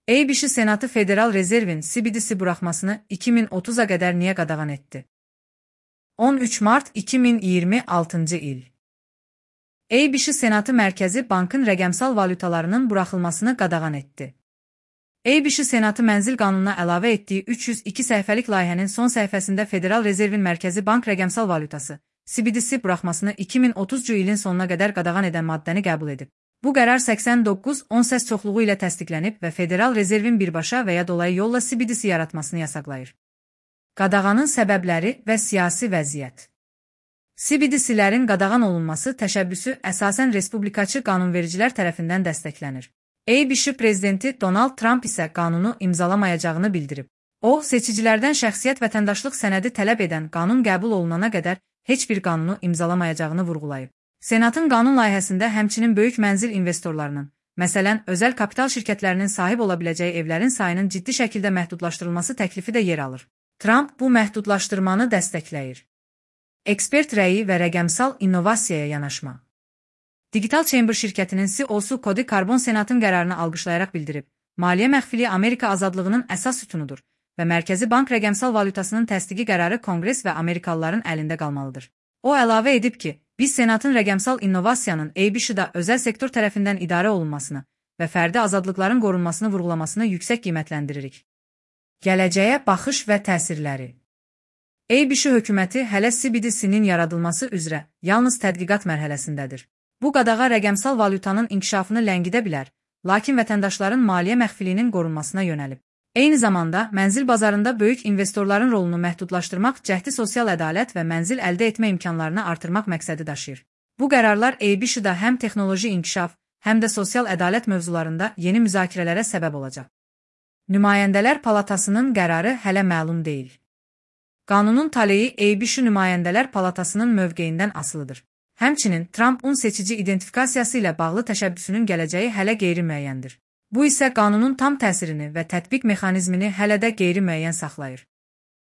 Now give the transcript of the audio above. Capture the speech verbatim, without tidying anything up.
ABC Senatı Federal Rezervin C B D C buraxmasını iki min otuza qədər niyə qadağan etdi? on üç mart iki min iyirmi altıncı il. ABC Senatı Mərkəzi Bankın rəqəmsal valyutalarının buraxılmasını qadağan etdi. ABC Senatı Mənzil Qanununa əlavə etdiyi üç yüz iki səhifəlik layihənin son səhifəsində Federal Rezervin Mərkəzi Bank rəqəmsal valyutası C B D C buraxmasını iki min otuzuncu ilin sonuna qədər qadağan edən maddəni qəbul edib. Bu qərar səksən doqquz on səs çoxluğu ilə təsdiqlənib və Federal Rezervin birbaşa və ya dolayı yolla C B D C yaratmasını yasaqlayır. Qadağanın səbəbləri və siyasi vəziyyət. C B D C-lərin qadağan olunması təşəbbüsü əsasən respublikaçı qanunvericilər tərəfindən dəstəklənir. ABC prezidenti Donald Trump isə qanunu imzalamayacağını bildirib. O, seçicilərdən şəxsiyyət vətəndaşlıq sənədi tələb edən qanun qəbul olunana qədər heç bir qanunu imzalamayacağını vurğulayıb. Senatın qanun layihəsində həmçinin böyük mənzil investorlarının, məsələn, özəl kapital şirkətlərinin sahib ola biləcəyi evlərin sayının ciddi şəkildə məhdudlaşdırılması təklifi də yer alır. Trump bu məhdudlaşdırmanı dəstəkləyir. Ekspert rəyi və rəqəmsal innovasiyaya yanaşma. Digital Chamber şirkətinin C E O-su Cody Carbon Senatın qərarını alqışlayaraq bildirib, maliyyə məxfiliyi Amerika azadlığının əsas sütunudur və Mərkəzi Bank rəqəmsal valyutasının təsdiqi qərarı Konqres və Amerikalıların əlində qalmalıdır. O əlavə edib ki, biz Senatın rəqəmsal innovasiyanın A B C-da özəl sektor tərəfindən idarə olunmasını və fərdi azadlıqların qorunmasını vurğulamasını yüksək qiymətləndiririk. Gələcəyə baxış və təsirləri. A B C hökuməti hələ C B D C-nin yaradılması üzrə yalnız tədqiqat mərhələsindədir. Bu qadağa rəqəmsal valyutanın inkişafını ləngidə bilər, lakin vətəndaşların maliyyə məxfiliyinin qorunmasına yönəlib. Eyni zamanda, mənzil bazarında böyük investorların rolunu məhdudlaşdırmaq cəhdi sosial ədalət və mənzil əldə etmə imkanlarını artırmaq məqsədi daşıyır. Bu qərarlar A B C-da həm texnoloji inkişaf, həm də sosial ədalət mövzularında yeni müzakirələrə səbəb olacaq. Nümayəndələr Palatasının qərarı hələ məlum deyil. Qanunun taleyi A B C Nümayəndələr Palatasının mövqeyindən asılıdır. Həmçinin, Trump'un seçici identifikasiyası ilə bağlı təşəbbüsünün gələcəyi hələ qeyri-müəyyəndir. Bu isə qanunun tam təsirini və tətbiq mexanizmini hələ də qeyri-müəyyən saxlayır.